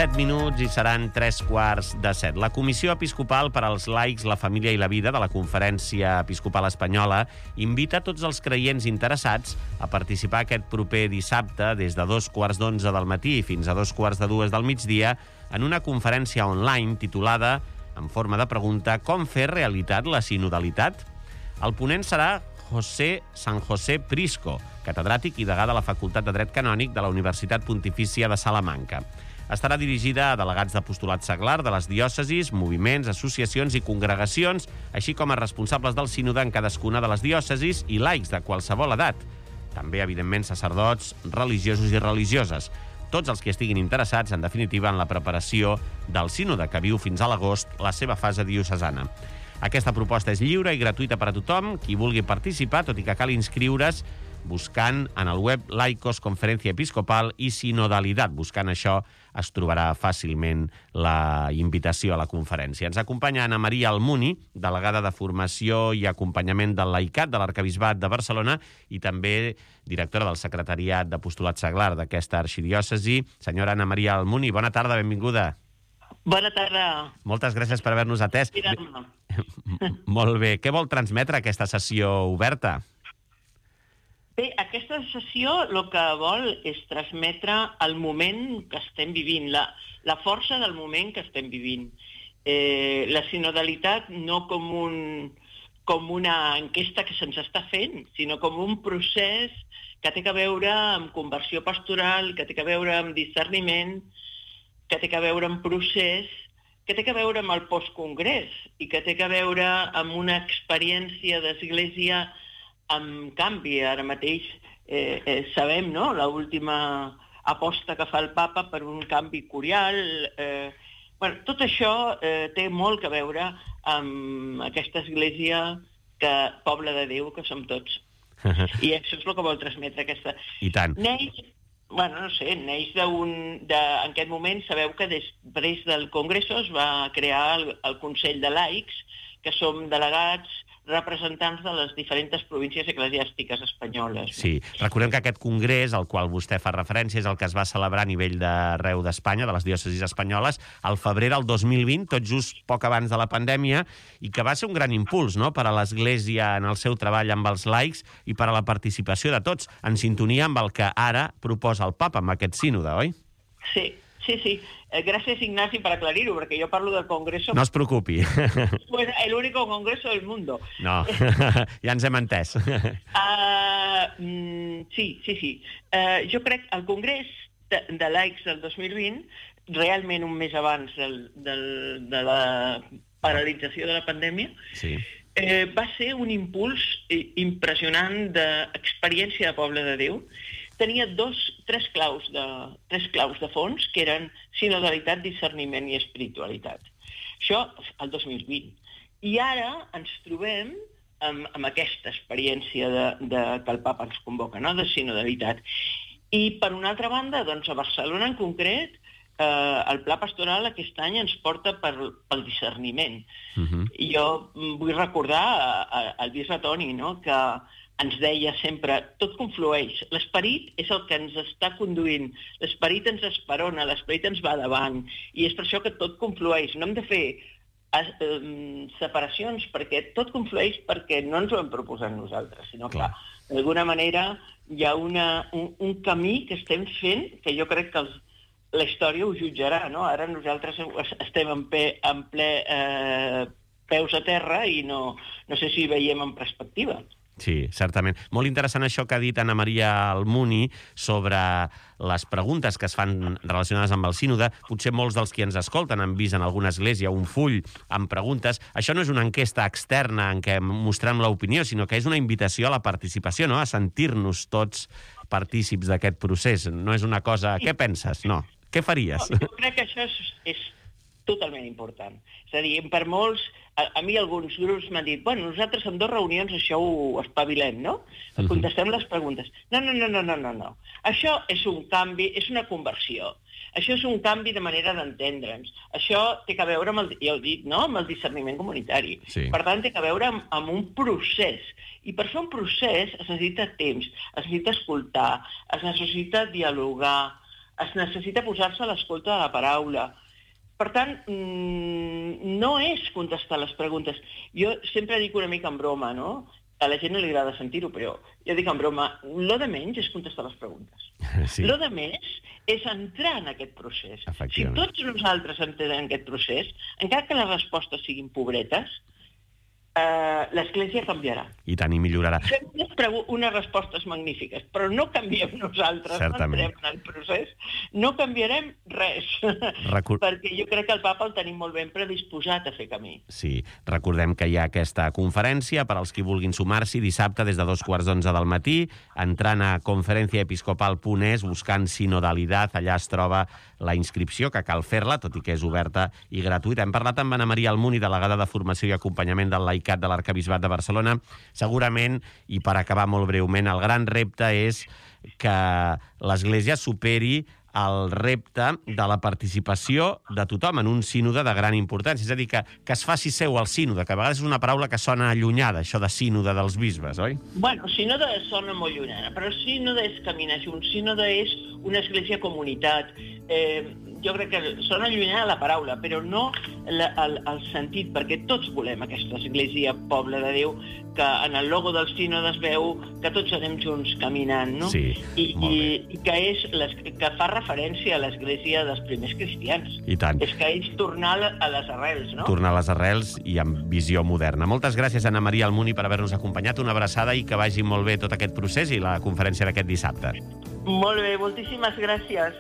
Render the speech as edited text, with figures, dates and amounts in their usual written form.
7 minuts i seran 3:15. La Comissió Episcopal per als Laics, la Família i la Vida de la Conferència Episcopal Espanyola invita tots els creients interessats a participar aquest proper dissabte des de 2:15 del matí fins a 2:45 del migdia en una conferència online titulada, en forma de pregunta, Com fer realitat la sinodalitat? El ponent serà San José Prisco, catedràtic i degà de la Facultat de Dret Canònic de la Universitat Pontifícia de Salamanca. Estarà dirigida a delegats d'apostolat seglar de les diòcesis, moviments, associacions i congregacions, així com a responsables del sínode en cadascuna de les diòcesis i laics de qualsevol edat. També, evidentment, sacerdots, religiosos i religioses. Tots els que estiguin interessats, en definitiva, en la preparació del sínode, que viu fins a l'agost la seva fase diocesana. Aquesta proposta és lliure i gratuïta per a tothom. Qui vulgui participar, tot i que cal inscriure's, buscant en el web Laicos Conferència Episcopal i Sinodalitat. Buscant això es trobarà fàcilment la invitació a la conferència. Ens acompanya Ana Maria Almuni, delegada de Formació i Acompanyament del Laicat de l'Arquebisbat de Barcelona i també directora del Secretariat d'Apostolat Seglar d'aquesta arxidiòcesi. Senyora Ana Maria Almuni, bona tarda, benvinguda. Bona tarda. Moltes gràcies per haver-nos atès. Molt bé. Què vol transmetre aquesta sessió oberta? Bé, aquesta sessió el que vol és transmetre el moment que estem vivint, la força del moment que estem vivint. La sinodalitat no com una enquesta que se'ns està fent, sinó com un procés que té a veure amb conversió pastoral, que té a veure amb discerniment, que té a veure amb procés, que té a veure amb el postcongrés i que té a veure amb una experiència d'església amb canvi. Ara mateix sabem, no?, l'última aposta que fa el papa per un canvi curial. Tot això té molt a veure amb aquesta església, poble de Déu, que som tots. I això és el que vol transmetre aquesta... I tant. Neix en aquest moment, sabeu que després del Congrés es va crear el Consell de Laics, que som delegats representants de les diferents províncies eclesiàstiques espanyoles. Sí, recordem que aquest congrés, al qual vostè fa referència, és el que es va celebrar a nivell d'arreu d'Espanya, de les diòcesis espanyoles, al febrer del 2020, tot just poc abans de la pandèmia, i que va ser un gran impuls, no?, per a l'Església en el seu treball amb els laics i per a la participació de tots, en sintonia amb el que ara proposa el papa amb aquest sínode, oi? Sí. Gràcies, Ignasi, per aclarir-ho, perquè jo parlo del Congreso... No es preocupi. Pues el único congreso del mundo. No, ja ens hem entès. Sí. Jo crec que el Congrés de Laics del 2020, realment un mes abans de la paralització de la pandèmia, sí, va ser un impuls impressionant d'experiència de poble de Déu. Tenia tres claus de fons, que eren sinodalitat, discerniment i espiritualitat. Això el 2020. I ara ens trobem amb aquesta experiència que el papa ens convoca, no?, de sinodalitat. I, per una altra banda, doncs, a Barcelona en concret, el Pla Pastoral aquest any ens porta pel discerniment. Jo vull recordar al bisbe Toni, no?, que ens deia sempre, tot conflueix, l'esperit és el que ens està conduint, l'esperit ens esperona, l'esperit ens va davant, i és per això que tot conflueix. No hem de fer separacions, perquè tot conflueix perquè no ens ho hem proposat nosaltres, sinó que d'alguna manera hi ha un camí que estem fent, que jo crec que la història ho jutjarà, no? Ara nosaltres estem en ple peus a terra i no sé si veiem en perspectiva. Sí, certament. Molt interessant això que ha dit Ana Maria Almuni sobre les preguntes que es fan relacionades amb el sínode. Potser molts dels qui ens escolten han vist en alguna església un full amb preguntes. Això no és una enquesta externa en què mostrem l'opinió, sinó que és una invitació a la participació, no?, a sentir-nos tots partícips d'aquest procés. No és una cosa... Què penses? No. Què faries? Jo crec que això és totalment important. És a dir, per molts... A mi alguns grups m'han dit, bueno, nosaltres en 2 reunions això ho espavilem, no? Contestem les preguntes. No. Això és un canvi, és una conversió. Això és un canvi de manera d'entendre'ns. Això té a veure amb ja ho he dit, no?, amb el discerniment comunitari. Sí. Per tant, té a veure amb un procés. I per fer un procés es necessita temps, es necessita escoltar, es necessita dialogar, es necessita posar-se a l'escolta de la paraula. Per tant, no és contestar les preguntes. Jo sempre dic una mica en broma, no? A la gent no li agrada sentir-ho, però jo dic en broma, lo de menys és contestar les preguntes. Sí. Lo de més és entrar en aquest procés. Si tots nosaltres entrem en aquest procés, encara que les respostes siguin pobretes, l'Església canviarà. I tant, i millorarà. Fem unes respostes magnífiques, però no canviem nosaltres, certament. No entrem en el procés, no canviarem res, perquè jo crec que el papa el tenim molt ben predisposat a fer camí. Sí, recordem que hi ha aquesta conferència per als qui vulguin sumar-s'hi dissabte des de 2:15 del matí, entrant a conferenciaepiscopal.es, buscant sinodalitat, allà es troba la inscripció, que cal fer-la, tot i que és oberta i gratuïta. Hem parlat amb Anna Maria Almuni, delegada de Formació i Acompanyament del Laicat de l'Arquebisbat de Barcelona. Segurament, i per acabar molt breument, el gran repte és que l'Església superi el repte de la participació de tothom en un sínode de gran importància. És a dir, que es faci seu el sínode, que a vegades és una paraula que sona allunyada, això de sínode dels bisbes, oi? Bueno, sínode sona molt llunyana, però sínode és caminar junts, sínode és una església comunitat. Jo crec que sona allunyada la paraula, però no el sentit, perquè tots volem aquesta església poble de Déu, que en el logo del sínode es veu que tots anem junts caminant, no? Sí, I que fa referència a l'església dels primers cristians. I tant. És que és tornar a les arrels, no? Tornar a les arrels i amb visió moderna. Moltes gràcies, Anna Maria Almuni, per haver-nos acompanyat. Una abraçada i que vagi molt bé tot aquest procés i la conferència d'aquest dissabte. Molt bé, moltíssimes gràcies.